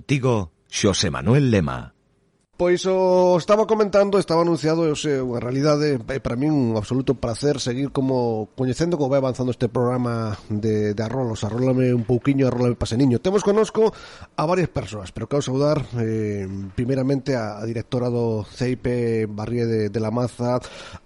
Contigo, Xosé Manuel Lema. Pois o estaba comentando, estaba anunciado, en realidade, para mí un absoluto placer seguir como coñecendo como vai avanzando este programa de Arrolos. Arrólame un pouquiño, arrólame paseniño. Temos connosco a varias persoas, pero quero saudar primeiramente a directora do CEIP Barrie de la Maza,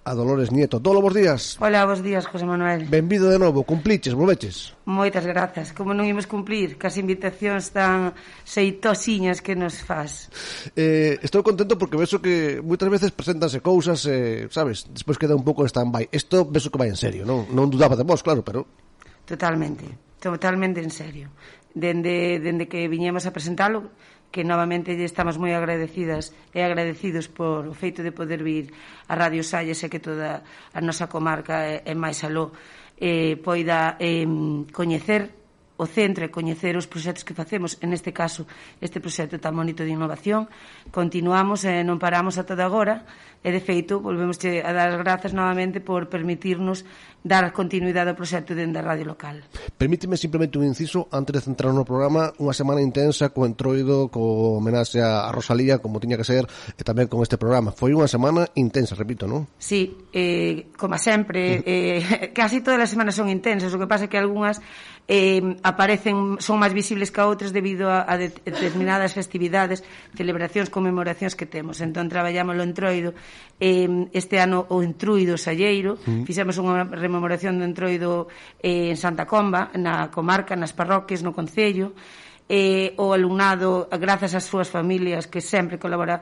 a Dolores Nieto. Dolo, bons días. Hola, bons días, José Manuel. Benvido de novo, cumpliches, volveches? Moitas grazas, como non imos cumplir, que as invitacións tan xeitosiñas que nos faz. Estou contento porque vexo que moitas veces preséntanse cousas, sabes, despois queda un pouco en stand-by. Isto vexo que vai en serio, non dudaba de vos, claro, pero... Totalmente en serio. Dende que viñemos a presentalo, que novamente estamos moi agradecidas e agradecidos por o feito de poder vir a Radio Salles e que toda a nosa comarca e máis aló poida coñecer o centro e coñecer os proxectos que facemos, en este caso este proxecto tan bonito de innovación. Continuamos e non paramos a toda agora e de feito volvemos a dar as grazas novamente por permitirnos dar continuidade ao proxecto dende a radio local. Permíteme simplemente un inciso antes de centrar no programa. Unha semana intensa co entroido, co homenaxe a Rosalía, como tiña que ser, e tamén con este programa. Foi unha semana intensa, repito, non? Sí, como sempre, casi todas as semanas son intensas, o que pasa é que algunhas aparecen, son máis visibles que a outras debido a determinadas festividades, celebracións, conmemoracións que temos. Entón traballamos o entroido, este ano o entruido salleiro, fixemos unha rememoración do entroido en Santa Comba, na comarca, nas parroquias, no concello, o alumnado, grazas ás súas familias que sempre colabora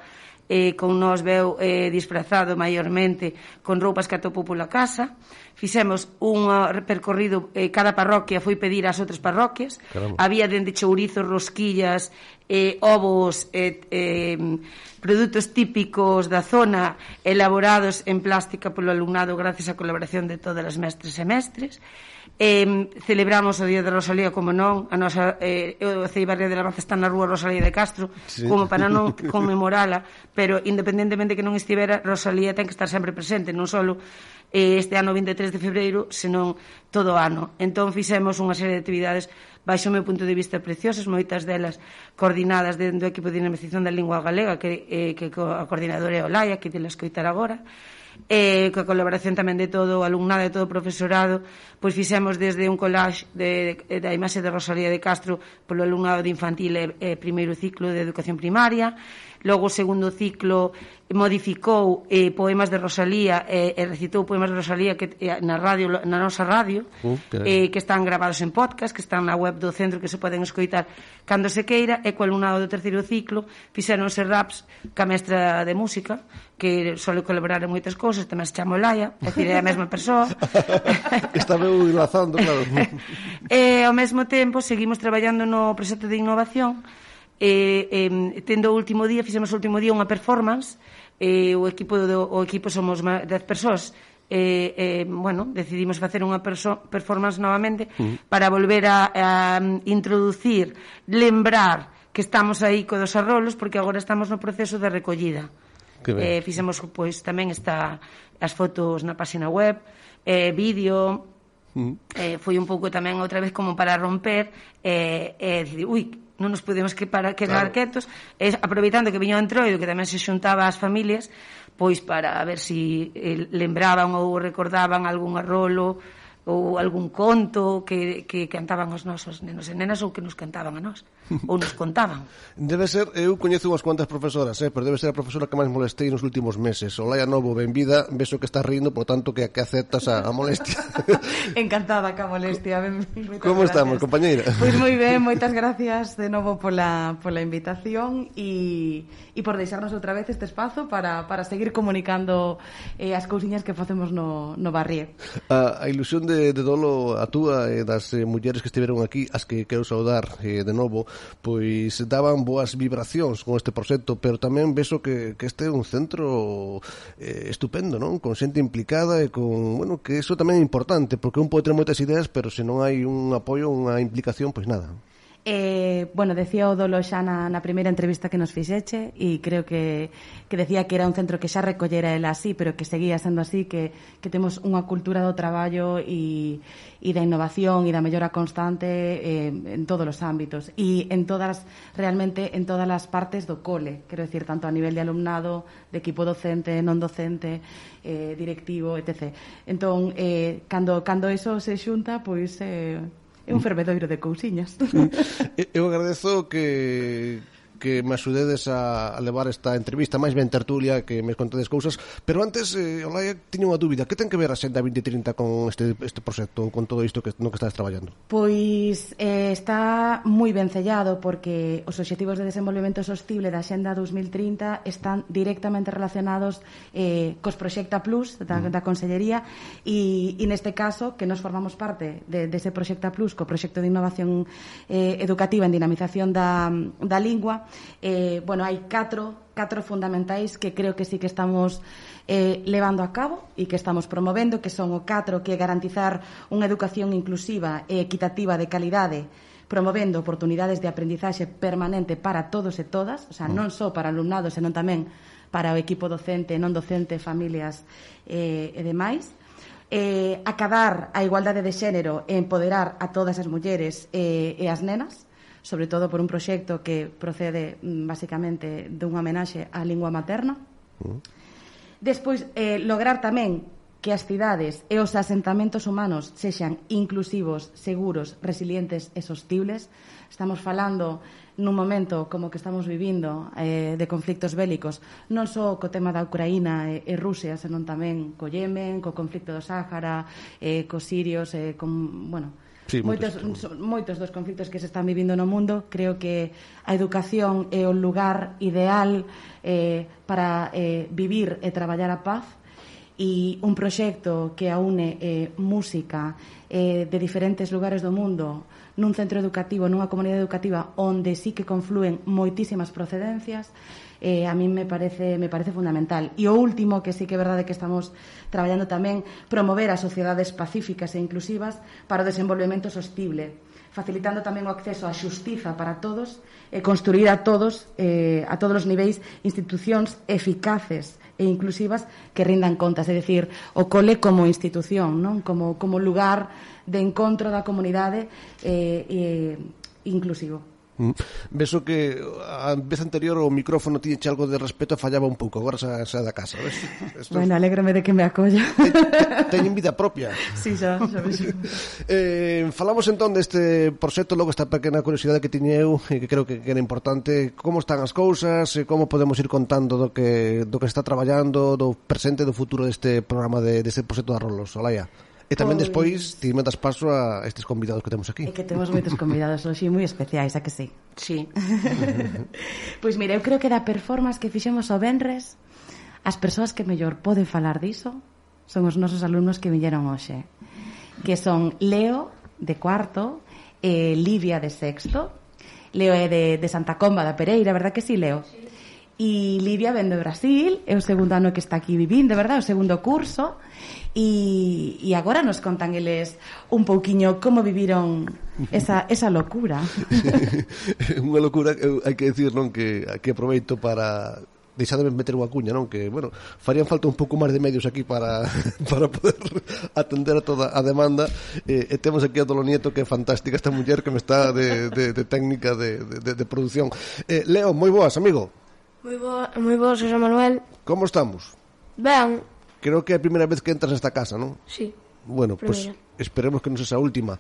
con nós, veu disfrazado maiormente con roupas que atopou pola casa. Fixemos un percorrido, cada parroquia foi pedir ás outras parroquias. Caramba. Había dende chourizos, rosquillas, ovos, produtos típicos da zona elaborados en plástica polo alumnado gracias á colaboración de todas as mestres e mestres. Celebramos o Día de Rosalía, como non, a nosa o CEIP Barrie de la Maza está na rúa Rosalía de Castro, sí, como para non conmemorala, pero independentemente que non estivera, Rosalía ten que estar sempre presente, non só este ano 23 de febreiro, senón todo o ano. Entón fixemos unha serie de actividades baixo o meu punto de vista preciosas, moitas delas coordinadas dentro do equipo de dinamización da lingua galega, que a coordinadora é Olaya, que te la escoitar agora, coa colaboración tamén de todo o alumnado e todo o profesorado. Pois fixemos desde un collage da imaxe de Rosalía de Castro polo alumnado de infantil e primeiro ciclo de educación primaria. Logo o segundo ciclo modificou poemas de Rosalía e recitou poemas de Rosalía que na nosa radio, que están gravados en podcast, que están na web do centro, que se poden escoitar cando se queira. E co alumnado do terceiro ciclo fixeronse raps ca mestra de música, que sole colaborar en moitas cousas, tamén se chama Olaya, é dicir, é a mesma persoa. Está meu enlazando, claro. E ao mesmo tempo seguimos traballando no proxecto de innovación, tendo o último día, fixemos o último día unha performance, o equipo somos 10 persoas, bueno, decidimos facer unha performance novamente para volver a introducir, lembrar que estamos aí co dos arrolos, porque agora estamos no proceso de recollida. Fixemos, pois, tamén está as fotos na página web, vídeo, foi un pouco tamén outra vez como para romper decir, non nos podemos quedar quietos, aproveitando que viña o entroido, que tamén se xuntaba ás familias, pois para ver si lembraban ou recordaban algún arrolo ou algún conto que cantaban os nosos nenos e nenas, ou que nos cantaban a nós, ou nos contaban. Debe ser, eu coñezo unhas cuantas profesoras, pero debe ser a profesora que máis molestei nos últimos meses. Olaya Novo, benvida, vexo que estás rindo, por tanto que aceptas a molestia. Encantada ca molestia. Como estamos, compañeira? Pois moi ben, moitas gracias de novo pola invitación e por deixarnos outra vez este espazo para seguir comunicando as cousiñas que facemos no Barrie. A ilusión de Dolo, a túa e das mulleres que estiveron aquí, as que quero saudar de novo, pois daban boas vibracións con este proxecto, pero tamén vexo que este é un centro estupendo, non? Con xente implicada e con, bueno, que iso tamén é importante, porque un pode ter moitas ideas, pero se non hai un apoio, unha implicación, pois nada. Bueno, decía o Dolo xa na primeira entrevista que nos fixeche e creo que decía que era un centro que xa recollera ela así, pero que seguía sendo así, que temos unha cultura do traballo e da innovación e da mellora constante en todos os ámbitos e realmente en todas as partes do cole, quero decir, tanto a nivel de alumnado, de equipo docente, non docente, directivo, etc. Entón, cando eso se xunta, pois é un fervedoiro de cousiñas. Eu agradezo que me axudedes a levar esta entrevista, máis ben tertulia, que me contedes cousas, pero antes, Olaia, tiño unha dúbida. Que ten que ver a Xenda 2030 con este proxecto, con todo isto no que estás traballando? Pois está moi ben sellado, porque os obxectivos de desenvolvemento sostible da Xenda 2030 están directamente relacionados cos Proxecta Plus da Consellería e neste caso, que nos formamos parte dese Proxecta Plus, co proxecto de innovación educativa en dinamización da lingua. Bueno, hai catro fundamentais que creo que sí que estamos levando a cabo e que estamos promovendo, que son o 4, que é garantizar unha educación inclusiva e equitativa de calidade, promovendo oportunidades de aprendizaxe permanente para todos e todas, o sea, non só para alumnados, senón tamén para o equipo docente, non docente, familias e demais. Acadar a igualdade de xénero e empoderar a todas as mulleres e as nenas, sobre todo por un proxecto que procede basicamente dunha homenaxe á lingua materna. Despois, lograr tamén que as cidades e os asentamentos humanos sexan inclusivos, seguros, resilientes e sostibles. Estamos falando nun momento como que estamos vivindo de conflictos bélicos, non só co tema da Ucraína e Rusia, senón tamén co Yemen, co conflicto do Sáhara, cos sirios, con, bueno, sí, moitos dos conflitos que se están vivindo no mundo. Creo que a educación é o lugar ideal para vivir e traballar a paz, e un proxecto que aúne música de diferentes lugares do mundo nun centro educativo, nunha comunidade educativa onde sí que conflúen moitísimas procedencias, a mí me parece fundamental. E o último, que sí que é verdade que estamos traballando tamén, promover as sociedades pacíficas e inclusivas para o desenvolvemento sostible, facilitando tamén o acceso á xustiza para todos e construir a todos os niveis institucións eficaces e inclusivas que rindan contas, é dicir, o cole como institución, non? Como lugar de encontro da comunidade inclusivo. Beso que a vez anterior o micrófono tiñe algo de respeto e fallaba un pouco, agora xa da casa, ves? Bueno, alégrame de que me acolla. Teñen vida propia. Sí, xa vexo. Falamos entón deste proxecto, logo esta pequena curiosidade que tiñe eu, que creo que era importante. Como están as cousas, como podemos ir contando do que está traballando, do presente e do futuro deste programa, deste proxecto de Arrolos, Olaia? E tamén despois ti me das paso a estes convidados que temos aquí. É que temos moitos convidados hoxe moi especiais, a que sí? Sí. Pois mira, eu creo que da performance que fixemos o venres, as persoas que mellor poden falar diso son os nosos alumnos que viñeron hoxe, que son Leo, de cuarto, e Livia, de sexto. Leo é de Santa Comba da Pereira, verdad que sí, Leo? Sí. E Livia ven de Brasil, é o segundo ano que está aquí vivindo, verdad? O segundo curso. E agora nos contan eles un pouquiño como viviron esa locura. Unha locura, hai que decir, non, que aproveito para deixademe meter unha cuña, non, que, bueno, farían falta un pouco máis de medios aquí para poder atender a toda a demanda, e temos aquí a Dolo Nieto, que é fantástica esta muller que me está de técnica de produción. Leo, moi boas, amigo. Moi boas, José Manuel. Como estamos? Ben. Creo que é a primeira vez que entras nesta casa, non? Sí. Bueno, pues esperemos que non sexa a última.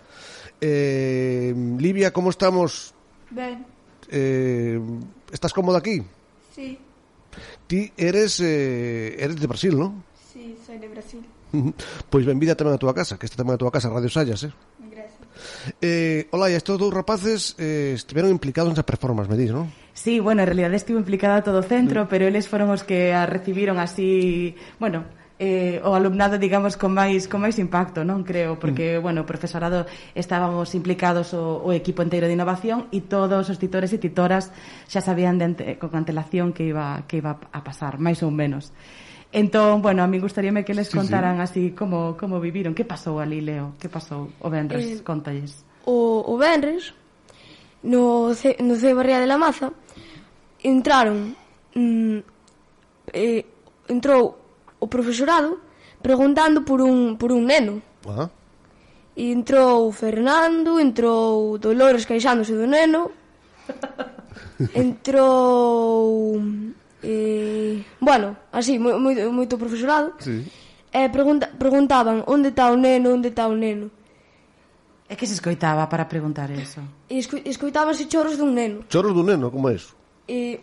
Livia, como estamos? Ben. Estás cómoda aquí? Sí. Ti eres de Brasil, non? Sí, soy de Brasil. Pois benvida tamén a túa casa, que esta tamén a túa casa, Radio Sallas, Gracias. Olaia, estes dous rapaces estiveron implicados nesa performance, me dis, non? Sí, bueno, en realidad estivo implicada todo o centro, pero eles foron os que a recibiron así, bueno, o alumnado, digamos, con máis impacto, non creo, porque, bueno, o profesorado estábamos implicados o equipo inteiro de innovación e todos os titores e titoras xa sabían con antelación que iba a pasar, máis ou menos. Entón, bueno, a mí gustaríame que les contaran así como viviron. Que pasou ali, Leo? Que pasou o venres? Contalles. O venres no Barría de la Maza, entrou o profesorado preguntando por un neno. Ah. E entrou Fernando, entrou Dolores queixándose do neno, entrou bueno, así, moito profesorado. Sí. E preguntaban onde está o neno. É que se escoitaba para preguntar eso? E escoitábanse choros dun neno. Choros dun neno, como é iso? E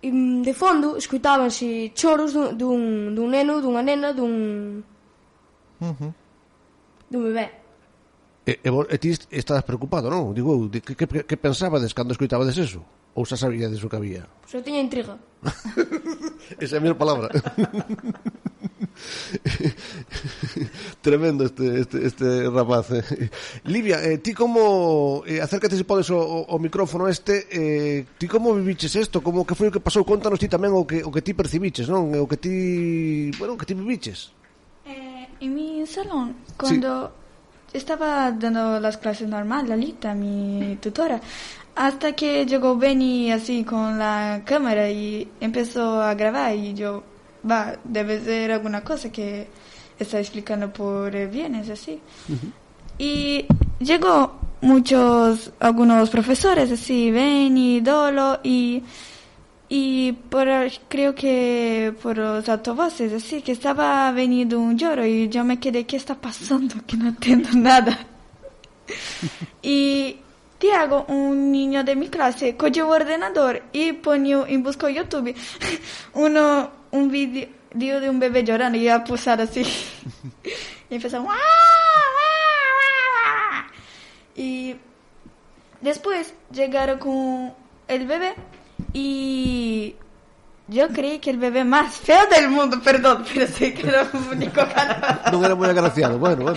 de fondo escoitábanse choros dun neno, dunha nena, dun bebé. E ti estabas preocupado, non? Digo, que pensabades cando escoitabades eso? Ou xa sabíades o que había? Pois eu tiña intriga. Esa é a miña palabra. Tremendo este rapaz. Livia, ti como acércate se podes o micrófono ti como viviches isto? Como que foi o que pasou? Contanos ti tamén o que ti percibiches, non? O que ti viviches. En mi salón, cuando estaba dando las clases normal, Lalita, mi tutora, hasta que llegó Benny así con la cámara y empezó a grabar y yo, debe ser alguna cosa que está explicando por bienes, así. Uh-huh. Y llegó algunos profesores, así, Benny, Dolo, y creo que por los altavoces, así, que estaba veniendo un lloro y yo me quedé, ¿qué está pasando? Que no entiendo nada. Y Tiago, un niño de mi clase, cogió el ordenador y buscó YouTube un video de un bebé llorando y iba a pulsar así. Y empezó y después llegaron con el bebé y yo creí que el bebé más feo del mundo, perdón, pero sí que era un único canal. No era muy agraciado, bueno.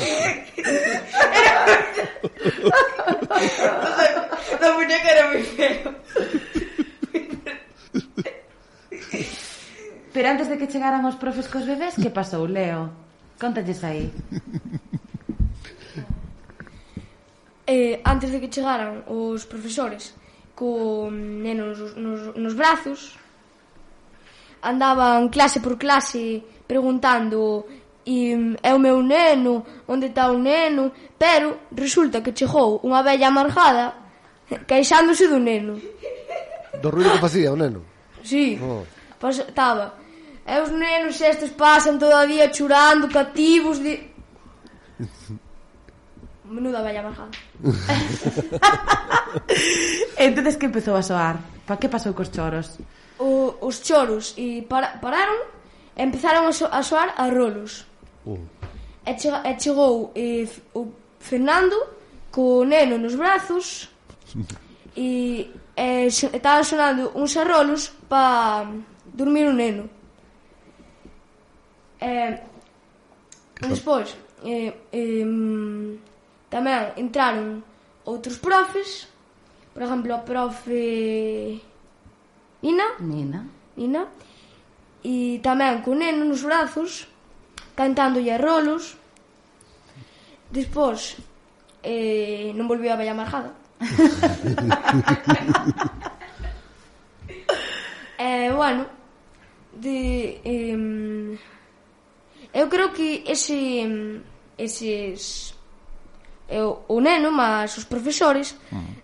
La muñeca era muy feo. Pero antes de que chegaran os profes cos bebés, que pasou, Leo? Contalles aí. Antes de que chegaran os profesores con nenos nos brazos, andaban clase por clase preguntando é o meu neno, onde está o neno, pero resulta que chegou unha vella amargada queixándose do neno. Do ruido que facía o neno? Sí, estaba. E os nenos estes pasan todavía chorando, cativos de... Menuda vella amargada. Entonces, que empezou a soar? Que pasou cos choros? Os choros e pararon e empezaron a soar a rolos. E chegou o Fernando co neno nos brazos e estaban sonando uns arrolos para dormir o neno. Despois tamén entraron outros profes, por exemplo, a profe Nina, e tamén con neno nos brazos, cantándolle rolos. Despois non volviu a bella amargada. Bueno, eu creo que eses o neno, mas os profesores,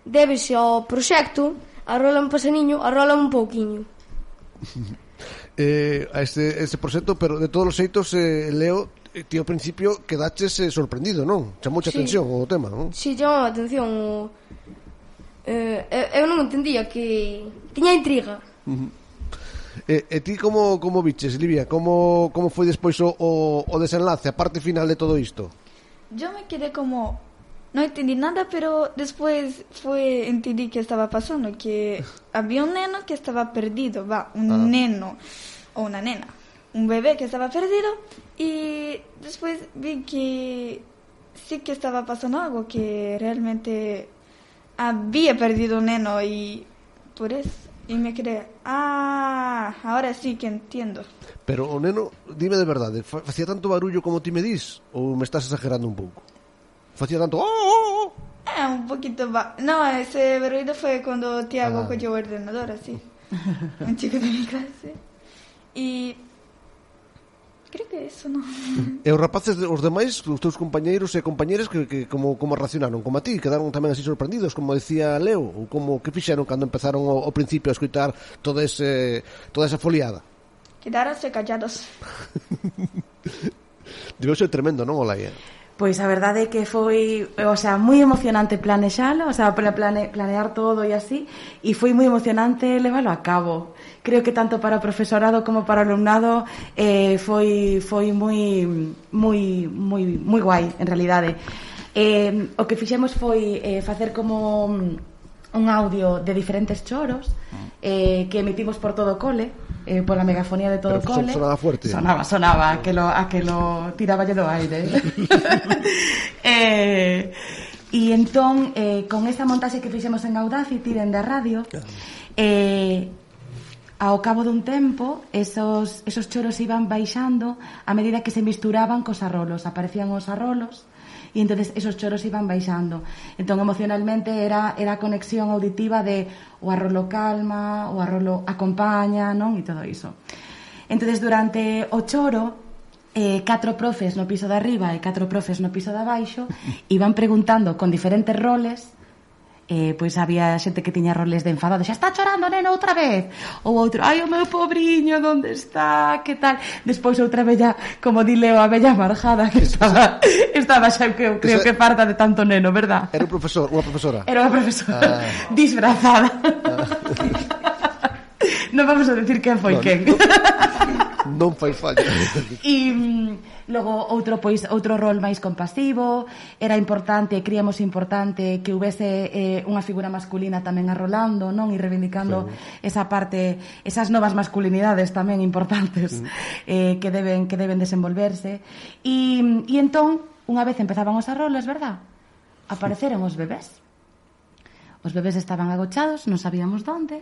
débese ao proxecto Arrola un pasaniño, arrola un pouquiño. A este proxecto, pero de todos os xeitos, Leo, ti ao principio quedaches sorprendido, non? Chamouche atención o tema, non? Si, chamou a atención. Eu non entendía, que tiña intriga. E ti como viches, Livia? Como foi despois o desenlace, a parte final de todo isto? Yo me quedé como... No entendí nada, pero después entendí qué estaba pasando, que había un neno que estaba perdido, neno o una nena, un bebé que estaba perdido, y después vi que sí que estaba pasando algo, que realmente había perdido un neno y por eso, y me quedé, ahora sí que entiendo. Pero o neno, dime de verdade, facía tanto barullo como ti me dis, ou me estás exagerando un pouco? Facía tanto... un poquito... No, ese ruido fue cuando Tiago cogió el ordenador, así. Un chico de mi clase. Y... creo que eso, non? E os rapaces, os demais, os teus compañeiros e compañeras que como reaccionaron como a ti? Quedaron tamén así sorprendidos, como decía Leo? Ou como que fixeron cando empezaron ao principio a escutar toda esa foliada? Quedaronse callados. Debeu ser tremendo, non, Olaia? Pois a verdade é que foi, o sea, moi emocionante planexalo, o sea, planear todo e así, e foi moi emocionante leválo a cabo. Creo que tanto para o profesorado como para o alumnado foi moi guai, en realidade. O que fixemos foi facer como un audio de diferentes choros que emitimos por todo o cole, pola megafonía de todo o cole. Sonaba fuerte. Sonaba, a que lo tiraba do aire. E entón, con esa montaxe que fixemos en Audacity, dende a radio, ao cabo dun tempo, esos choros iban baixando a medida que se misturaban cos arrolos. Aparecían os arrolos, e entonces esos choros iban baixando. Entón emocionalmente era a conexión auditiva de o arrolo calma, o arrolo acompaña, non? E todo iso. Entonces durante o choro 4 profes no piso de arriba e 4 profes no piso de abaixo iban preguntando con diferentes roles. Pois había xente que tiña roles de enfadado, xa está chorando, neno, outra vez. Ou outro, ai, o meu pobriño, onde está, que tal. Despois outra bella, como di Leo, a bella marjada que estaba xa, creo que farta de tanto neno, verdad? Era un profesor, unha profesora. Era unha profesora, disfrazada. Non vamos a decir quen foi quen. Non fai falla. E logo outro rol máis compasivo. Era importante, creíamos importante que houvese unha figura masculina tamén arrolando, non? E reivindicando esa parte, esas novas masculinidades tamén importantes que deben desenvolverse. E entón, unha vez empezaban os arrolos, verdad? Apareceron os bebés. Os bebés estaban agochados, non sabíamos onde.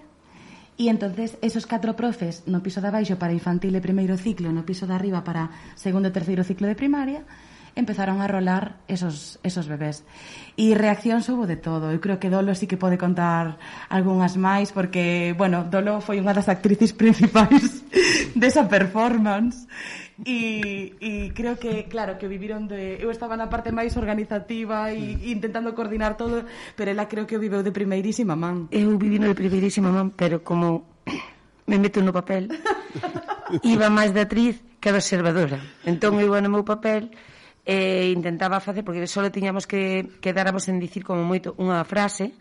E entonces esos 4 profes no piso de abaixo para infantil e primeiro ciclo, no piso de arriba para segundo e terceiro ciclo de primaria, empezaron a rolar esos bebés. E reaccións houbo de todo. Eu creo que Dolo sí que pode contar algunhas máis, porque, bueno, Dolo foi unha das actrices principais desa performance. E creo que, claro, que viviron eu estaba na parte máis organizativa e intentando coordinar todo, pero ela creo que o viveu de primeirísima man. Eu vivi no de primeirísima man, pero como me meto no papel, iba máis de actriz que de observadora. Entón eu iba no meu papel e intentaba facer, porque só tiñamos que quedáramos en dicir como moito unha frase.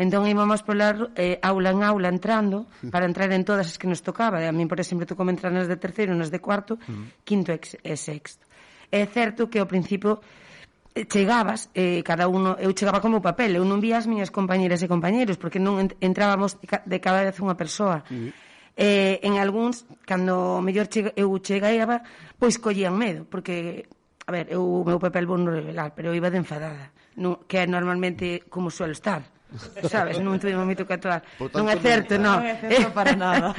Entón íbamos pola aula en aula entrando para entrar en todas as que nos tocaba. A mí, por exemplo, tocou entrar nas de terceiro, nas de cuarto, quinto e sexto. É certo que ao principio chegabas, cada uno, eu chegaba como papel, eu non vía as miñas compañeras e compañeros, porque non entrábamos de cada vez unha persoa. En algúns, cando mellor eu chegaba, pois collían medo, porque, a ver, o meu papel vou non revelar, pero eu iba de enfadada, que é normalmente como suelo estar. Sabes, non tuvimos moito que actuar. Non é certo, non. Non é certo para nada.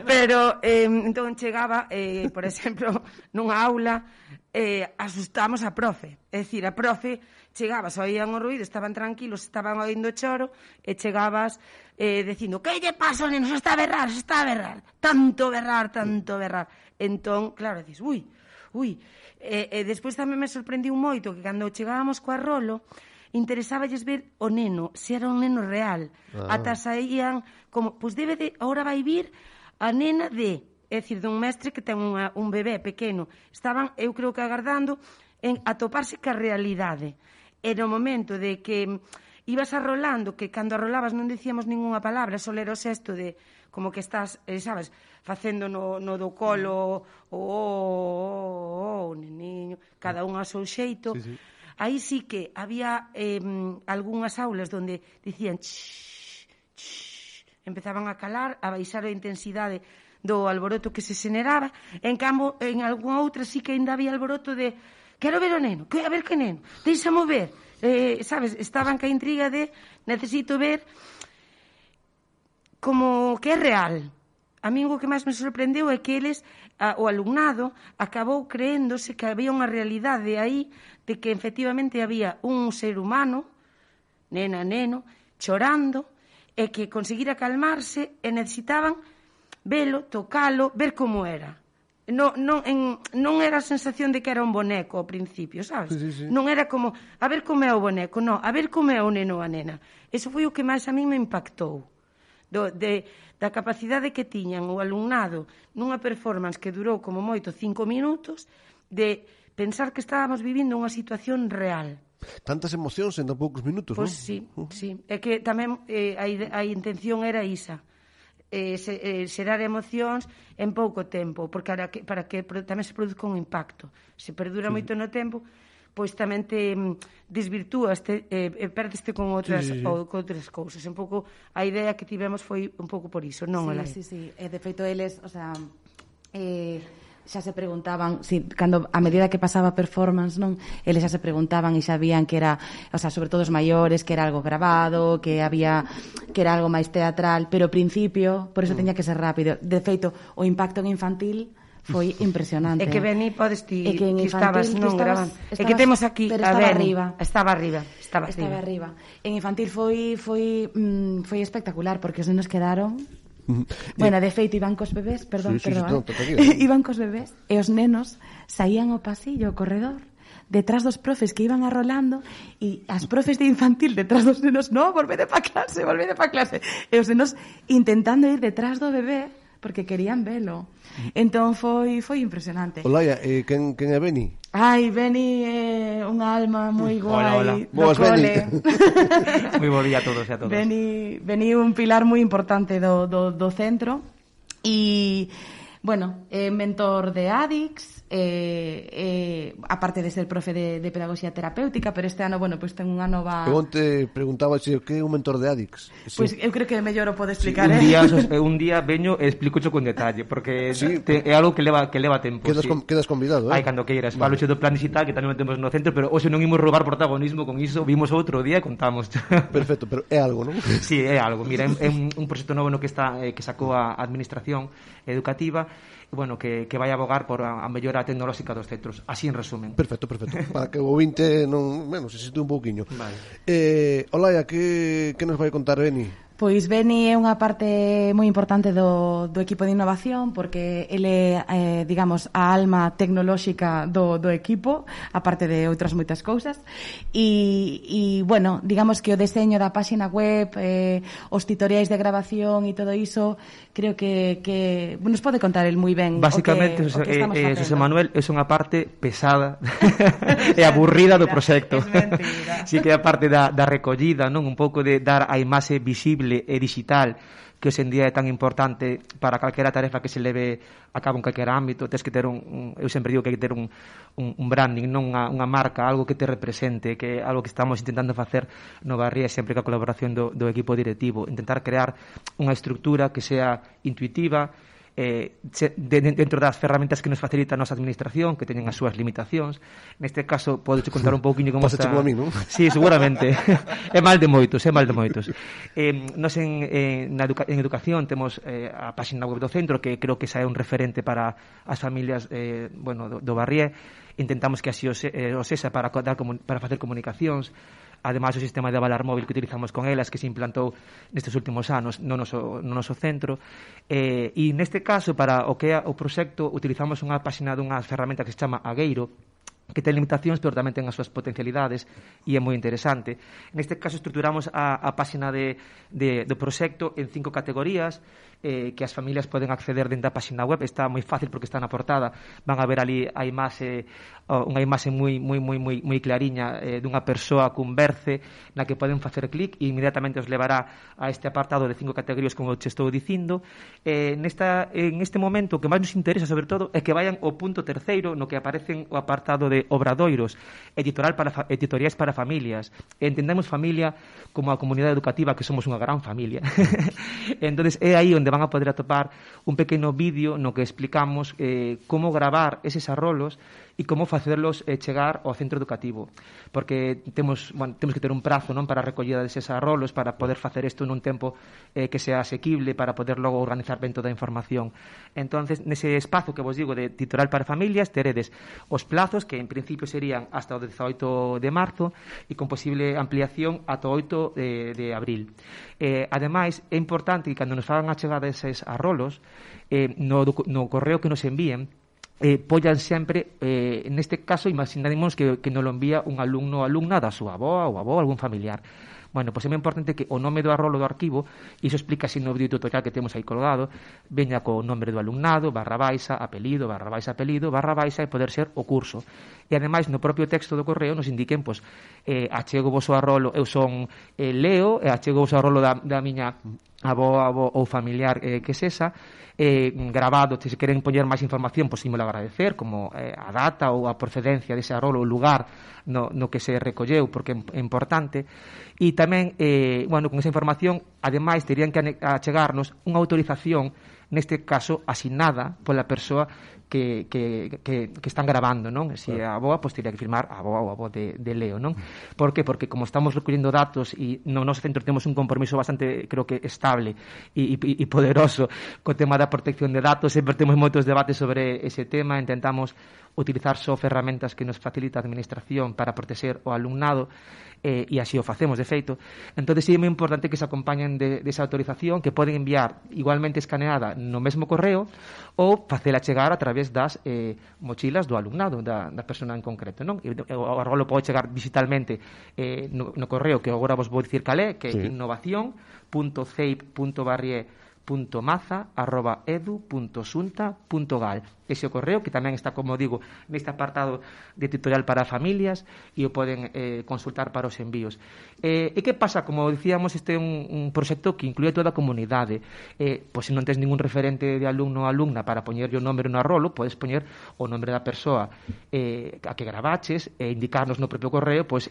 Pero, entón chegaba, por exemplo, nunha aula, asustamos a profe. É dicir, a profe chegabas, oían o ruído, estaban tranquilos, estaban oíndo choro, e chegabas dicindo, que lle pasa, neno, se está a berrar, tanto berrar. Entón, claro, dices, ui. E despois tamén me sorprendiu moito que cando chegábamos co arrolo, interesáballes ver o neno, se era un neno real. Ata saían como, pois debe de, ahora vai vir a nena de, é dicir, dun mestre que ten un bebé pequeno. Estaban, eu creo que agardando a toparse ca realidade. E no momento de que ibas arrolando, que cando arrolabas non dicíamos ninguna palabra, só era o xesto de, como que estás, sabes, facendo no do colo, neniño, cada un a seu xeito. Sí. Aí sí que había algunhas aulas onde dicían empezaban a calar, a baixar a intensidade do alboroto que se xeneraba. En cambio, en algunha outra sí que ainda había alboroto de quero ver o neno, a ver que neno, deixamo ver. Sabes, estaban ca intriga de necesito ver como que é real. A mí o que máis me sorprendeu é que eles, o alumnado, acabou creéndose que había unha realidade aí de que efectivamente había un ser humano nena, neno, chorando, e que conseguira calmarse e necesitaban velo, tocalo, ver como era. Non era a sensación de que era un boneco ao principio, sabes? Sí. Non era como, a ver como é o boneco, non, a ver como é o neno ou a nena. Eso foi o que máis a mí me impactou. Da capacidade que tiñan o alumnado nunha performance que durou como moito 5 minutos, de pensar que estábamos vivindo unha situación real. Tantas emocións en tan poucos minutos, Pois non? sí. É que tamén a intención era isa. Xerar emocións en pouco tempo, porque para que tamén se produzca un impacto. Se perdura moito no tempo, pois tamén te desvirtúas, perdeste con outras cousas. Un pouco a idea que tivemos foi un pouco por iso, non? Sí. De feito, eles, o sea, xa se preguntaban, cando a medida que pasaba a performance, non, eles xa se preguntaban e sabían que era, o sea, sobre todo os maiores, que era algo grabado, que era algo máis teatral, pero ao principio, por eso teña que ser rápido. De feito, o impacto en infantil foi impresionante. É que Beni, podes ti estabas non grabando. É que temos aquí a Beni. Estaba arriba. En infantil foi espectacular, porque os nenos quedaron... Bueno, de feito, iban cos bebés, iban cos bebés e os nenos saían ao pasillo, ao corredor, detrás dos profes que iban arrolando, e as profes de infantil detrás dos nenos, no, volvede pa clase, e os nenos intentando ir detrás do bebé porque querían velo. Entón foi impresionante. Olaya, quen é Beni? Ai, Beni é unha alma moi guai. Hola. Boas, Beni. Moi bo día a todos e a todas. Beni un pilar moi importante do centro e, bueno, mentor de ADICS, aparte de ser profe de pedagogía terapéutica, pero este ano, bueno, pues ten unha nova... Eu onte preguntaba se que é un mentor de ADICS. Pois eu creo que mellor o pode explicar, un día veño e explicocho con detalle, porque é algo que leva tempo. Quedas convidado, Ai, cando queiras. Falo do plan digital que tamén temos no centro, pero hoxe non imos roubar protagonismo con iso, vimos outro día e contamos. Perfecto, pero é algo, non? Sí, é algo. Mira, é un proxecto novo no que sacou a Administración Educativa, bueno, que vai abogar por a mellora tecnolóxica dos centros, así en resumen. Perfecto, para que o ouvinte non, se sitúe un pouquiño. Vale. Olaya, que nos vai contar Beni? Pois Beni é unha parte moi importante do equipo de innovación, porque ele é, digamos, a alma tecnolóxica do equipo, aparte de outras moitas cousas, e bueno, digamos que o deseño da páxina web, os tutoriais de grabación e todo iso, creo que nos pode contar el moi ben. Básicamente, José Manuel é unha parte pesada e aburrida do proxecto. É mentira. Sí, que é a parte da recollida, non, un pouco de dar a imaxe visible e digital, que hoxe en día é tan importante para calquera tarefa que se leve a cabo en calquera ámbito. Tens que ter eu sempre digo que hai que ter un branding, non unha marca, algo que te represente, que é algo que estamos intentando facer no Barría, sempre coa colaboración do equipo directivo, intentar crear unha estructura que sea intuitiva, dentro das ferramentas que nos facilita a nosa administración, que teñen as súas limitacións. Neste caso, podes contar un pouquiño como está... como a mí, non? Sí, seguramente. É mal de moitos. Nos en educación temos a página web do centro, que creo que xa é un referente para as familias do Barrié. Intentamos que así o sexa para facer comunicacións. Ademais, o sistema de avalar móvil que utilizamos con elas, que se implantou nestes últimos anos no noso centro. E neste caso, para o que é o proxecto, utilizamos unha páxina dunha ferramenta que se chama Agueiro, que ten limitacións, pero tamén ten as súas potencialidades e é moi interesante. Neste caso, estruturamos a páxina do proxecto en 5 categorías, que as familias poden acceder dentro da páxina web. Está moi fácil porque está na portada. Van a ver ali a imaxe, unha imaxe moi clariña dunha persoa cun berce na que poden facer clic e inmediatamente os levará a este apartado de 5 categorías, como te estou dicindo. En este momento, o que máis nos interesa, sobre todo, é que vayan ao punto terceiro, no que aparecen o apartado de obradoiros, editoriais para familias. Entendemos familia como a comunidade educativa, que somos unha gran familia. Entonces é aí onde van a poder atopar un pequeno vídeo no que explicamos como gravar eses arrolos e como facerlos chegar ao centro educativo, porque temos que ter un prazo, non, para a recollida deses arrolos, para poder facer isto nun tempo que sea asequible, para poder logo organizar ben toda a información. Entonces, nese espazo que vos digo de tutorial para familias, teredes os plazos, que principio serían hasta o 18 de marzo e con posible ampliación ata o 8 de abril. Ademais, é importante que cando nos fagan a chegada eses arrolos, no correo que nos envíen, pollan sempre, neste caso, imaginaremos que nos lo envía un alumno ou alumna da súa avoa ou avó, algún familiar. Bueno, pois é moi importante que o nome do arrolo do arquivo, e iso explica así no vídeo tutorial que temos aí colgado, veña co nome do alumnado, /baixa, apelido, apelido, /baixa, e poder ser o curso. E ademais no propio texto do correo nos indiquen, pois, achego vos o arrolo, eu son Leo, e achego vos o arrolo da miña avó ou familiar que sesa, grabado, se queren poñer máis información, pois ímolo agradecer, como a data ou a procedencia dese arrolo, o lugar no que se recolleu, porque é importante. E tamén, con esa información, ademais, terían que achegarnos unha autorización, neste caso, asignada pola persoa que están grabando, non? Se a avoa, pois teria que firmar a avoa ou a avó de Leo, non? Por que? Porque como estamos recollendo datos e no noso centro temos un compromiso bastante, creo que, estable e poderoso co tema da protección de datos, sempre temos moitos debates sobre ese tema, intentamos utilizar só ferramentas que nos facilita a administración para proteger o alumnado, e así o facemos, de feito. Entón, é moi importante que se acompañen desa autorización, que poden enviar igualmente escaneada no mesmo correo ou facela chegar a través das mochilas do alumnado, da persona en concreto, non? O arrolo pode chegar digitalmente no correo, que agora vos vou dicir cal é, que é innovación.ceip.barrie.maza@edu.sunta.gal. Ese o correo, que tamén está, como digo, neste apartado de tutorial para familias, e o poden consultar para os envíos. E que pasa? Como dicíamos, este é un proxecto que inclúe toda a comunidade. Pois se non tens ningún referente de alumno ou alumna para poñerlle o nombre no arrolo, podes poñer o nombre da persoa a que gravaches e indicarnos no propio correo, pois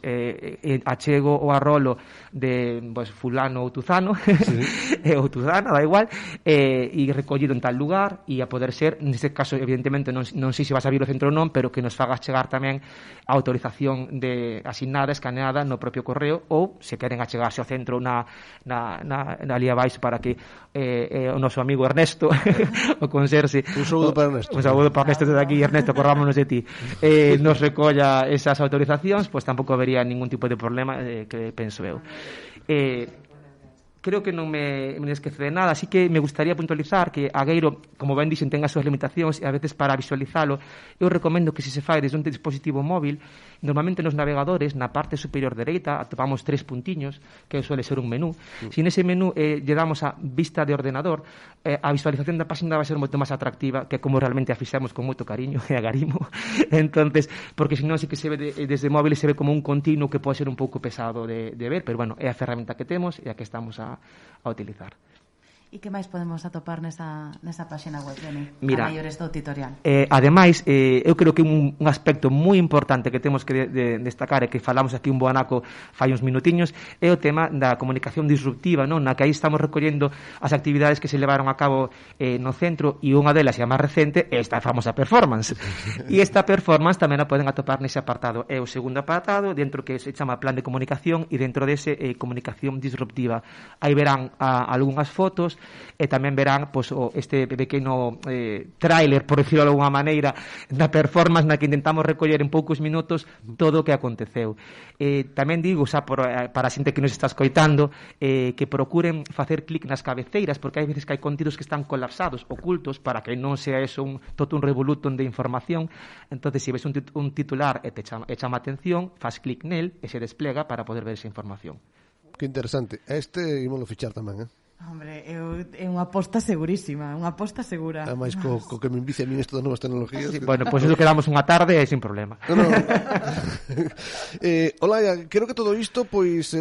achego o arrolo de fulano ou tuzano, ou tuzana, da igual, e recollido en tal lugar, e a poder ser, neste caso, evidentemente non sei se vas a vir o centro ou non, pero que nos fagas chegar tamén a autorización asignada, escaneada no propio correo, ou se queren achegarse ao centro na ali abaixo para que o noso amigo Ernesto o conserxe, un saúdo para Ernesto, desde aquí, Ernesto, corrámonos de ti, nos recolla esas autorizacións, pois tampouco habería ningún tipo de problema, que penso eu. Creo que non me esquece de nada, así que me gustaría puntualizar que Agueiro, como ben dixen, ten as súas limitacións, e a veces para visualizalo eu recomendo que se fai desde un dispositivo móvil, normalmente nos navegadores, na parte superior dereita atopamos 3 puntiños, que suele ser un menú. Se nese menú lle damos a vista de ordenador, a visualización da página vai ser moito máis atractiva, que como realmente a fixamos con moito cariño e agarimo. Entonces, porque senón sí que se ve desde móvil, se ve como un continuo que pode ser un pouco pesado de ver, pero bueno, é a ferramenta que temos e a que estamos a utilizar. E que máis podemos atopar nesa página web, Beni? Mira, a maiores do tutorial. Ademais, eu creo que un aspecto moi importante que temos que destacar, e que falamos aquí un boanaco fai uns minutiños, é o tema da comunicación disruptiva, non? Na que aí estamos recollendo as actividades que se levaron a cabo no centro, e unha delas, e a máis recente, é esta famosa performance. E esta performance tamén a poden atopar nese apartado. É o segundo apartado, dentro que se chama plan de comunicación, e dentro dese comunicación disruptiva. Aí verán algunhas fotos, e tamén verán este pequeno tráiler, por decirlo de alguma maneira, da performance na que intentamos recoller en poucos minutos todo o que aconteceu. Tamén digo, xa para a xente que nos está escoitando, que procuren facer clic nas cabeceiras, porque hai veces que hai contidos que están colapsados, ocultos, para que non sea eso todo un revolutum de información. Entonces, se ves un titular e chama a atención, faz clic nel e se desplega para poder ver esa información. Que interesante. Ímolo fichar tamén, Hombre, é unha aposta segurísima, unha aposta segura. Ademais, co que me envicia a mí isto das novas tecnologías. Sí, bueno, pois iso quedamos unha tarde e sin problema. No. Olaia, creo que todo isto pois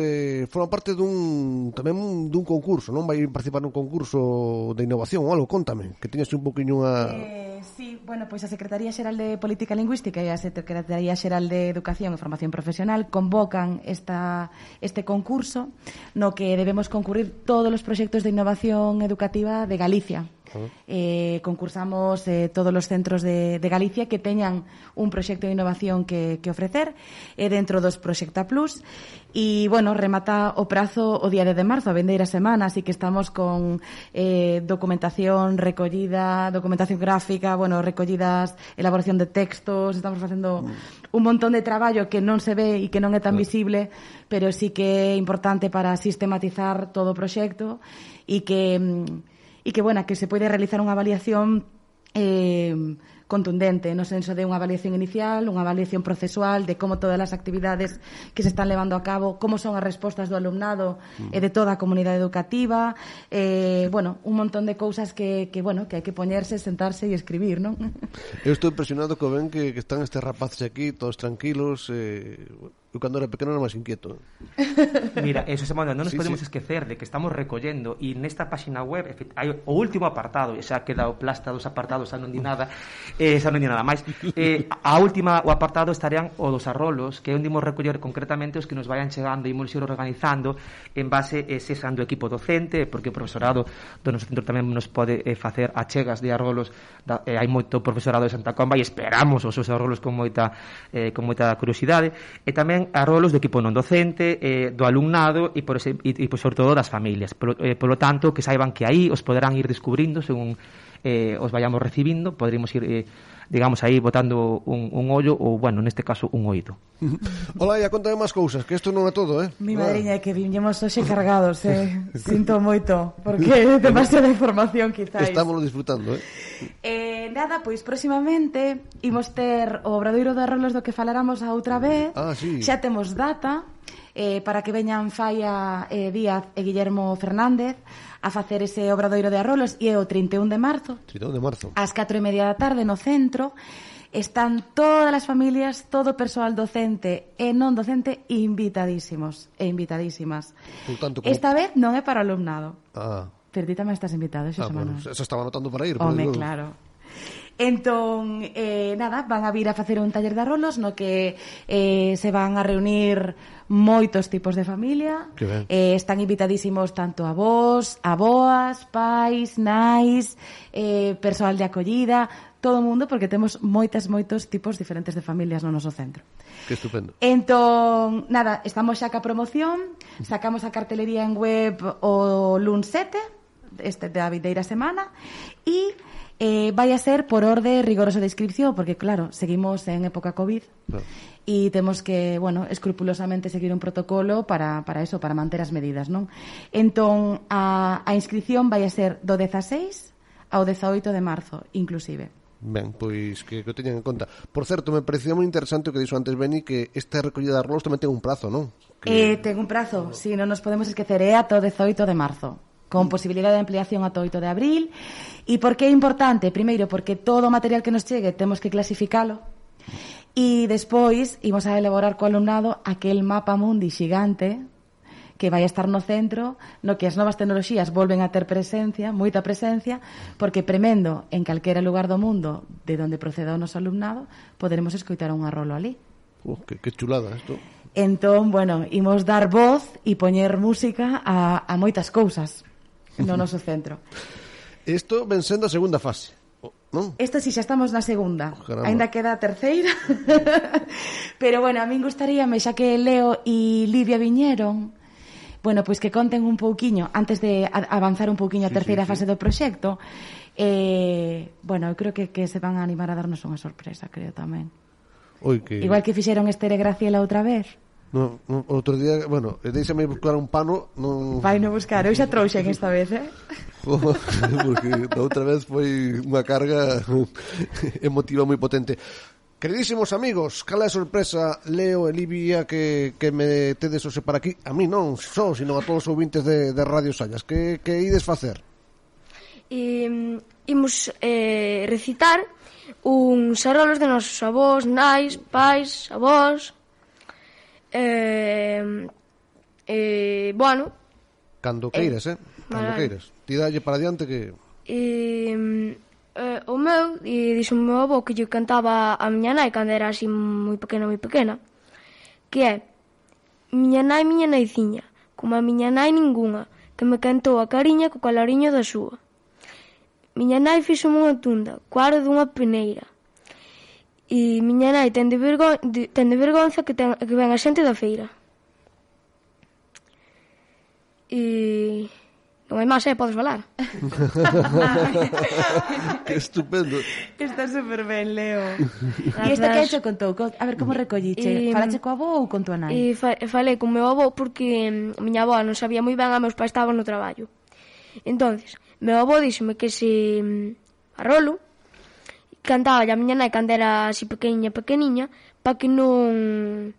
forma parte dun concurso, non? Vai participar nun concurso de innovación ou algo, contame, que teñas un poquinho Sí, bueno, pois a Secretaría Xeral de Política Lingüística e a Secretaría Xeral de Educación e Formación Profesional convocan este concurso no que debemos concurrir todos os proxectos de innovación educativa de Galicia. Concursamos todos os centros de Galicia que teñan un proxecto de innovación que ofrecer dentro dos Proxecta Plus. E, bueno, remata o prazo o día de marzo, a vendeira semana, así que estamos con documentación recollida, documentación gráfica, bueno, recollidas, elaboración de textos, estamos facendo un montón de traballo que non se ve e que non é tan visible, pero sí que é importante para sistematizar todo o proxecto e que bueno, que se pode realizar unha avaliación contundente, no senso de unha avaliación inicial, unha avaliación procesual de como todas as actividades que se están levando a cabo, como son as respostas do alumnado e de toda a comunidade educativa, bueno, un montón de cousas que hai que poñerse, sentarse e escribir, non? Eu estou impresionado co ben que están estes rapaces aquí, todos tranquilos, eu cando era pequeno era máis inquieto. Mira, eso se manda, non nos podemos esquecer de que estamos recollendo e nesta página web hai o último apartado, e xa queda o plasta dos apartados, xa non di nada máis. O apartado estarían o dos arrolos, que é onde imos recoller concretamente os que nos vayan chegando e imos ir organizando en base sean do equipo docente, porque o profesorado do noso centro tamén nos pode facer achegas de arrolos, hai moito profesorado de Santa Comba e esperamos os seus arrolos con moita curiosidade, e tamén arrolos do equipo non docente, do alumnado e sobre todo das familias. Polo tanto, que saiban que aí os poderán ir descubrindo según os vayamos recibindo, poderíamos ir digamos aí botando un ollo ou, bueno, neste caso un oído. Hola, ya contame máis cousas, que isto non é todo, Mi madriña, que viñemos hoxe cargados, sinto moito, porque é demasiada información, quizáis. Estámoslo disfrutando, Nada, pois próximamente imos ter o obradoiro de arrolos do que falaramos a outra vez. Sí. Xa temos data para que veñan Faia Díaz e Guillermo Fernández a facer ese obradoiro de arrolos, e é o 31 de marzo. 31 de marzo. Ás 4:30 da tarde no centro. Están todas as familias, todo o persoal docente e non docente invitadísimos e invitadísimas. Tanto, esta vez non é para alumnado. Pero ti tamén estás invitado, Xosé Manuel. Eso estaba anotando para ir. Claro. Entón, nada, van a vir a facer un taller de arrolos no que se van a reunir moitos tipos de familia. Están invitadísimos tanto avós, aboas, pais, nais, persoal de acollida, todo o mundo, porque temos moitos tipos diferentes de familias no noso centro. Que estupendo. Entón, nada, estamos xa ca promoción, sacamos a cartelería en web o luns 7, da vindeira semana, e vai a ser por orde rigoroso de inscripción, porque claro, seguimos en época COVID e temos que, bueno, escrupulosamente seguir un protocolo para eso, para manter as medidas, non? Entón, a inscripción vai a ser do 16 ao 18 de marzo, inclusive. Ben, pois que o teñan en conta. Por certo, me parecía moi interesante o que dixo antes Beni, que esta recollida de arrolos tamén ten un prazo, non? Ten un prazo, non nos podemos esquecer, é ata o 18 de marzo, con posibilidade de ampliación ata o 8 de abril. E por que é importante? Primeiro, porque todo o material que nos chegue temos que clasificalo, e despois imos a elaborar co alumnado aquel mapa mundi xigante que vai a estar no centro, no que as novas tecnoloxías volven a ter presencia, moita presencia, porque premendo en calquera lugar do mundo de onde proceda o noso alumnado, poderemos escoitar un arrolo ali. Que chulada isto. Entón, bueno, imos dar voz e poñer música a moitas cousas no noso centro. Isto ven sendo a segunda fase, non? Isto si xa estamos na segunda, Ainda queda a terceira. Pero bueno, a min gustaríame, xa que Leo e Livia viñeron, bueno, pois que conten un pouquiño antes de avanzar un pouquiño a terceira fase do proxecto. Bueno, eu creo que se van a animar a darnos unha sorpresa, creo tamén. Igual que fixeron Esther e Graciela outra vez. No, outro día, bueno, deixame buscar un pano. Vai no buscar, eu xa trouxen esta vez, Porque da outra vez foi unha carga emotiva moi potente. Queridísimos amigos, cal é a sorpresa, Leo e Livia, que me tedes hoxe para aquí? A mí non só, sino a todos os ouvintes de Radio Sallas. Que ides facer? Imos recitar uns arolos de nosos avós, nais, pais, avós. Bueno, cando queiras, cando queiras. Ti dalle para diante que... O meu, dixo o meu avó que lle cantaba a miña nai cando era así moi pequena, que é: miña naiciña, como a miña nai ningunha, que me cantou a cariña co calariño da súa. miña nai fixo unha tunda, coaro dunha peneira. E miña nai ten de vergonza que ven a xente da feira. E... non hai máis, podes falar. Que estupendo. Está super ben, Leo. E isto que che contou? A ver, como recolliche? Falache coa avó ou con tua nai? E falei con meu avó porque a miña avó non sabía moi ben, a meus pais estaban no traballo. Entonces, meu avó díxome que se a rolo cantaba a miña nai cando era así pequeniña, para que non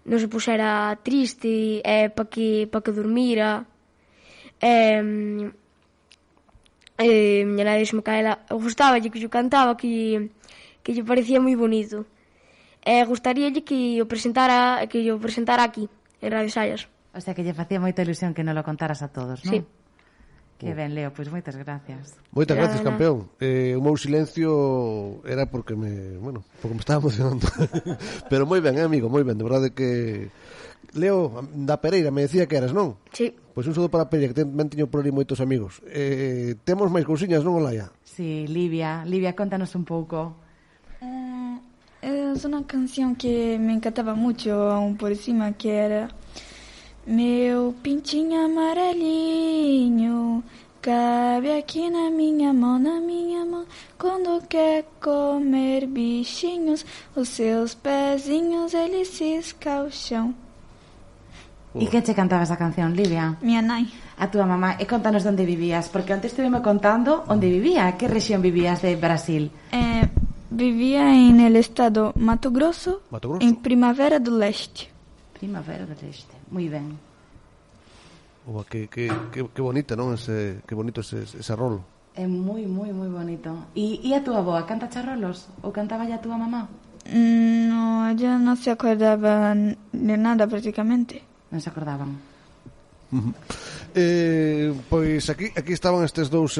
se puxera triste, para que dormira. Miña nai dixome que a ela gustaballe que yo cantaba, que lle parecía moi bonito. Gustaríalle que o presentara aquí, en Radio Sallas. O sea, que lle facía moita ilusión que non lo contaras a todos, non? Sí. Que ben, Leo, pois moitas gracias. Moitas gracias, campeón. O meu silencio era porque me estaba emocionando. Pero moi ben, amigo, moi ben. De verdade que... Leo, da Pereira, me decía que eras, non? Sí. Pois un saúdo para a Pereira, que tamén teño por ali moitos amigos. Temos máis cousiñas, non, Olaya? Sí, Livia, contanos un pouco. Es una canción que me encantaba mucho, aún por encima, que era... Meu pintinho amarelinho cabe aqui na minha mão, quando quer comer bichinhos, os seus pezinhos eles ciscam o chão. E quen che cantaba esa canción, Livia? Minha nai. A túa mamá. E contanos onde vivías, porque antes estiveme contando onde vivía. Que rexión vivías de Brasil? Vivía en el estado Mato Grosso, en Primavera do Leste. Primavera do Leste, moi ben. Que bonita, non? Que bonito ese rolo. É moi bonito. E a túa avoa canta charrolos? Ou cantaba ya a túa mamá? No, ella no se acordaba de nada prácticamente. Non se acordaban. Pois aquí estaban estes dous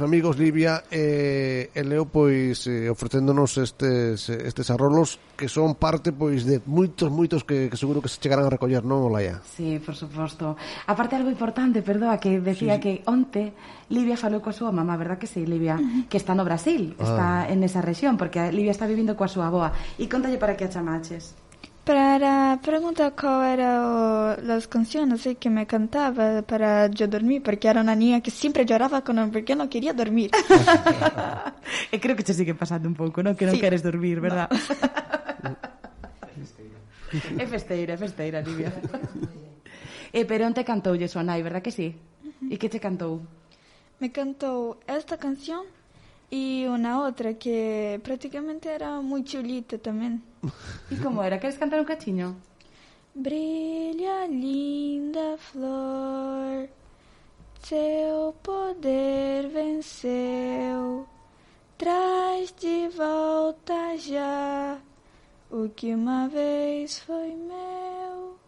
amigos, Livia e Leo, pois ofrecéndonos estes arrolos que son parte pois de moitos que seguro que se chegarán a recoller, non, Olaya? Sí, por suposto. Aparte algo importante, perdoa, que decía que onte Livia falou coa súa mamá, verdad que sí, Livia? Que está no Brasil, está en esa rexión, porque Livia está vivindo coa súa avoa. E contalle para que a chamaches. Para preguntar cuál eran las canciones que me cantaba para yo dormir, porque era una niña que siempre lloraba porque no quería dormir. E creo que te sigue pasando un pouco, non? Que non queres dormir, verdad? No. É festeira, Livia. Pero onte cantoulle súa nai, verdad que sí? E que te cantou? Me cantó esta canción y una otra que prácticamente era muy chulita también. ¿Y cómo era? ¿Quieres cantar un cachiño? Brilha linda flor, seu poder venceu, traz de volta já o que uma vez foi meu,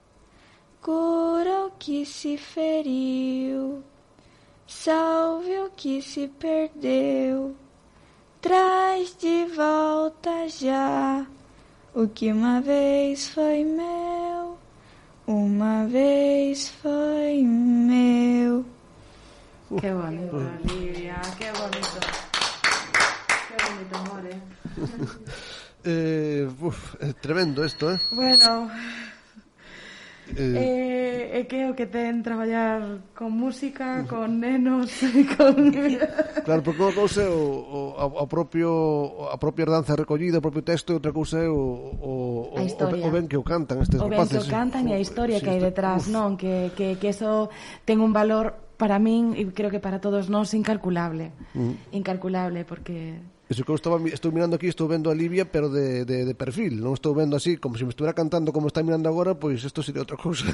cura o que se feriu, salve o que se perdeu, traz de volta já o que uma vez foi meu, uma vez foi meu. Qué bonito, Livia, qué bonito. Qué bonito, amor, tremendo esto, Bueno... É que o que ten traballar con música, con nenos con... Claro, porque unha cousa é a propia danza recollida, o propio texto, e outra cousa é o ben que o cantan estes rapaces. O ben que o cantan e a historia que hai detrás, non? Que eso ten un valor para min e creo que para todos nós incalculable. Incalculable, porque... Eso que estou mirando aquí, estou vendo a Livia, pero de perfil, non estou vendo así, como se me estuviera cantando como está mirando agora, pois isto sería outra cousa.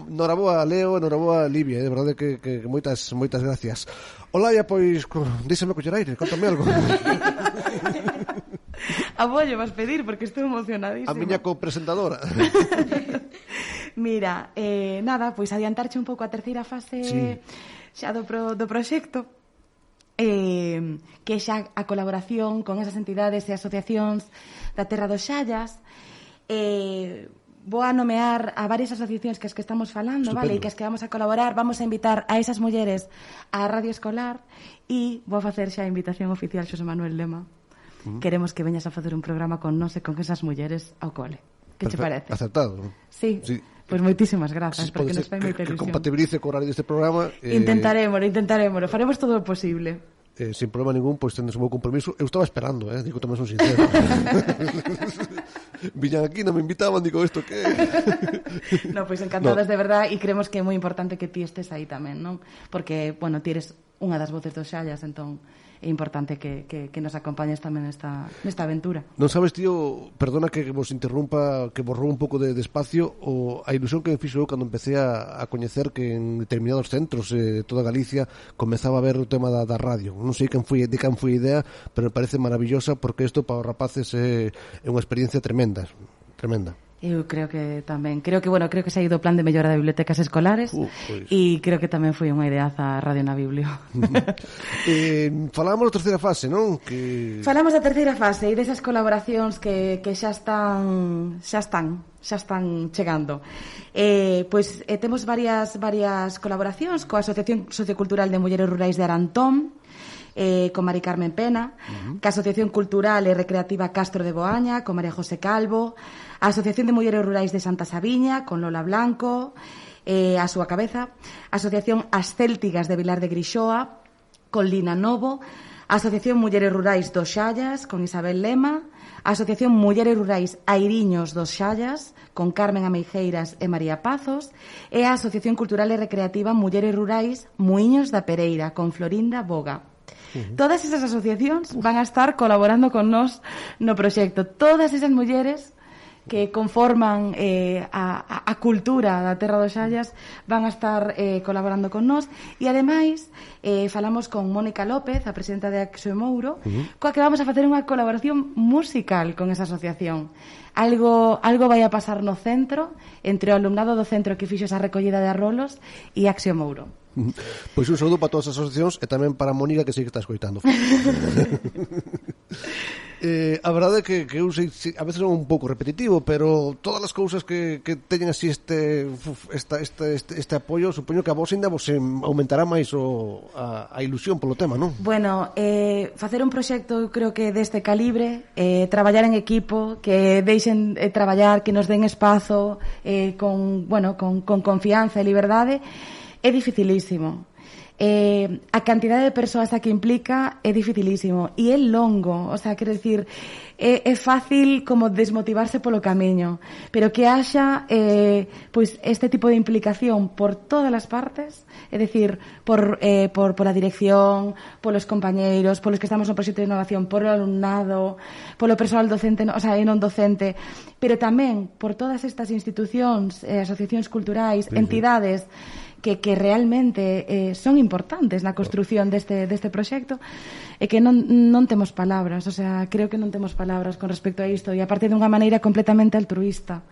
Noraboa Leo, noraboa Livia, de verdade que moitas gracias. Olaya, pois, díxeme coller aire, contame algo. A vos lle vas pedir, porque estou emocionadísima. A miña copresentadora. Mira, nada, pois adiantarche un pouco a terceira fase xa do proxecto. Que xa a colaboración con esas entidades e asociacións da Terra dos Xallas, vou a nomear a varias asociacións que as que estamos falando, Estupendo. vale, e que as que vamos a colaborar, vamos a invitar a esas mulleres á radio escolar e vou facer xa a invitación oficial Xosé Manuel Lema. Queremos que veñas a facer un programa con nós e con esas mulleres ao cole. Que che parece? Acertado. Sí. Pois moitísimas grazas, porque nos fai moita que ilusión. compatibilice co horario deste programa. Intentaremos, faremos todo o posible. Sin problema ningún, pois tendes un bo compromiso. Eu estaba esperando, digo, tamén son sincero. Viñan aquí, non me invitaban, digo, isto que... No, pois encantadas de verdad, e creemos que é moi importante que ti estes aí tamén, non? Porque, bueno, ti eres unha das voces dos Xallas, entón é importante que nos acompañes tamén nesta aventura. Non sabes, tío, perdona que vos interrumpa, que vos roubo un pouco de espacio, a ilusión que me fixo eu cando empecé a coñecer que en determinados centros de toda Galicia comezaba a ver o tema da radio. Non sei de quen foi a idea, pero me parece maravillosa porque isto para os rapaces é unha experiencia tremenda. Eu creo que tamén, creo que se ha ido o plan de mellora de bibliotecas escolares e creo que tamén foi unha ideaza a Radio na Biblio. Falábamos da terceira fase, non? Falamos da terceira fase e desas colaboracións que xa están chegando. Pois temos varias colaboracións coa Asociación Sociocultural de Mulleres Rurais de Arantón, con Mari Carmen Pena, ca Asociación Cultural e Recreativa Castro de Boaña, con María José Calvo, a Asociación de Mulleres Rurais de Santa Sabiña, con Lola Blanco, a súa cabeza, a Asociación As Céltigas de Vilar de Grixoa, con Lina Novo, a Asociación Mulleres Rurais dos Xallas, con Isabel Lema, a Asociación Mulleres Rurais Airiños dos Xallas, con Carmen Ameijeiras e María Pazos, e a Asociación Cultural e Recreativa Mulleres Rurais Muiños da Pereira, con Florinda Boga. Todas esas asociacións van a estar colaborando con nós no proxecto. Todas esas mulleres que conforman a cultura da Terra dos Xallas van a estar colaborando con nós e ademais falamos con Mónica López, a presidenta de Axio Mouro, coa que vamos a facer unha colaboración musical con esa asociación. Algo vai a pasar no centro entre o alumnado do centro que fixo esa recollida de arrolos e Axio Mouro. Pois un saúdo para todas as asociacións e tamén para Mónica, que sí que está escoitando. A verdade é que eu sei, a veces é un pouco repetitivo, pero todas as cousas que teñen así este apoio, supoño que a vos ainda vos aumentará máis a ilusión polo tema, non? Bueno, facer un proxecto, eu creo que deste calibre, traballar en equipo, que deixen traballar, que nos den espazo, con confianza e liberdade, é dificilísimo. A cantidade de persoas a que implica é dificilísimo e é longo, o sea, quero dicir, é fácil como desmotivarse polo camiño, pero que haxa pois este tipo de implicación por todas as partes, é dicir, por a dirección, polos compañeiros, polos que estamos no proxecto de innovación, polo alumnado, polo persoal docente, o sea, e non docente, pero tamén por todas estas institucións, asociacións culturais, entidades que realmente son importantes na construción deste proxecto e que non temos palabras, o sea, creo que non temos palabras con respecto a isto e aparte dunha maneira completamente altruista.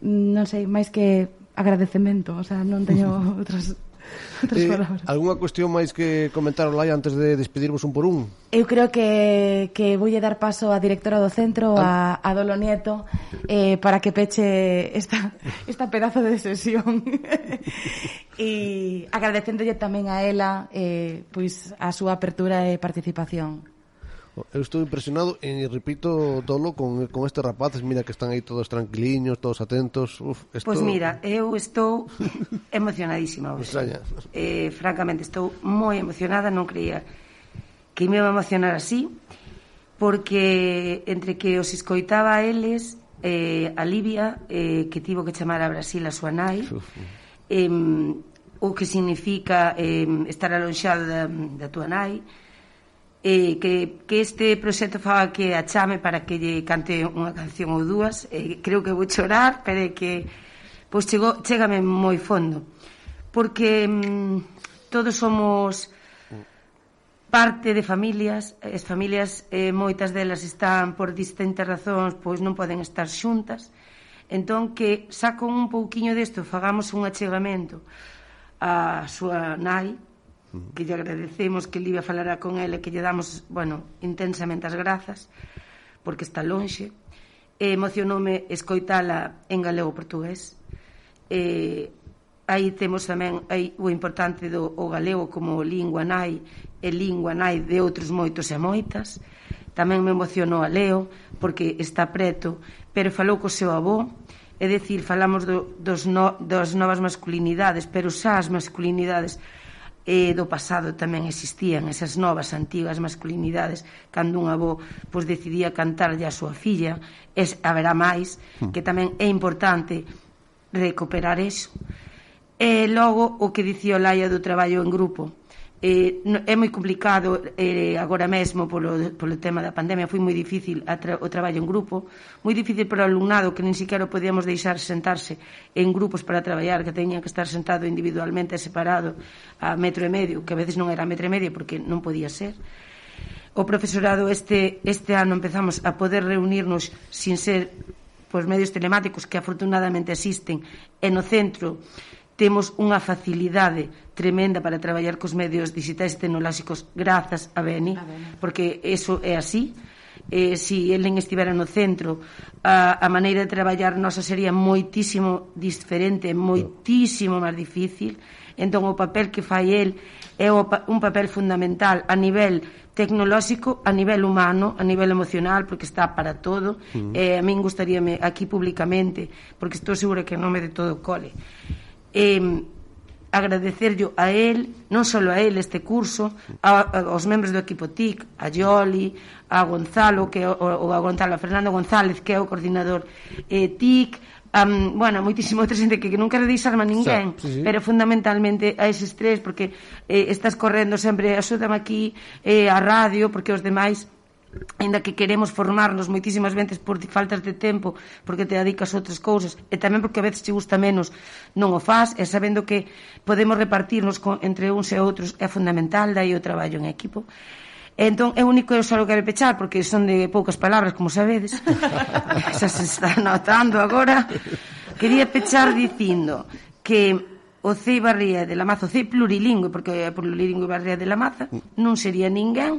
Non sei, máis que agradecemento, o sea, non teño outras palabras. Algúnha cuestión máis que comentar, Olaya, antes de despedirvos un por un? Eu creo que voulle dar paso á directora do centro, a Dolo Nieto, para que peche esta pedazo de sesión. E agradecéndolle tamén a ela pois a súa apertura e participación. Eu estou impresionado e repito, Dolo, con estes rapaces, mira que están aí todos tranquiliños, todos atentos. Pois mira, eu estou emocionadísima hoxe. Francamente, estou moi emocionada, non creía que me iba a emocionar así, porque entre que os escoitaba a eles, a Livia, que tivo que chamar a Brasil a súa nai, o que significa estar alonxado da tua nai, que este proxecto faga que a chame para que lle cante unha canción ou dúas, creo que vou chorar, pero que pois chégame moi fondo, porque todos somos parte de familias, as familias moitas delas están por distintas razóns, pois non poden estar xuntas, entón que saco un pouquiño desto, fagamos un achegamento a súa nai, que lle agradecemos, que Livia falará con ela, que lle damos, intensamente as grazas, porque está lonxe, emocionoume escoitala en galego-portugués. Aí temos tamén o importante do galego como lingua nai e lingua nai de outros moitos e moitas. Tamén me emocionou a Leo porque está preto, pero falou co seu avó, é dicir, falamos das novas masculinidades, pero xa as masculinidades do pasado tamén existían, esas novas, antigas masculinidades, cando un avó decidía cantarlle a súa filla, haberá máis, que tamén é importante recuperar eso. E logo o que dicía o Laia do traballo en grupo, é moi complicado agora mesmo polo tema da pandemia, foi moi difícil o traballo en grupo, moi difícil para o alumnado que nin siquiera podíamos deixar sentarse en grupos para traballar, que teñan que estar sentado individualmente e separado a 1,5 metro, que a veces non era 1,5 metro porque non podía ser. O profesorado este ano empezamos a poder reunirnos sin ser medios telemáticos que afortunadamente existen, e no centro temos unha facilidade tremenda para traballar cos medios digitais e tecnolóxicos grazas a Beni, porque eso é así. Se elen estivera no centro, a maneira de traballar nosa sería moitísimo diferente, moitísimo máis difícil. Entón o papel que fai el é un papel fundamental a nivel tecnolóxico, a nivel humano, a nivel emocional, porque está para todo. A min gustaríame aquí públicamente, porque estou segura que en nome de todo o cole, agradecerlo a él, non só a él este curso, aos membros do equipo TIC, a Yoli, a Gonzalo, a Fernando González, que é o coordinador TIC, moitísimo outra xente que non quero deixarme a ninguén, pero fundamentalmente a eses tres, porque estás correndo sempre, axúdame aquí a radio, porque os demais, ainda que queremos formarnos moitísimas veces por faltas de tempo, porque te dedicas a outras cousas, e tamén porque a veces te gusta menos, non o faz, e sabendo que podemos repartirnos entre uns e outros é fundamental, dai o traballo en equipo. Entón, é o único que eu só quero pechar, porque son de poucas palabras, como sabedes, xa se está notando agora. Quería pechar dicindo que o CEI Barría de la Maza, o CEI plurilingüe, porque é plurilingüe Barría de la Maza, non sería ninguén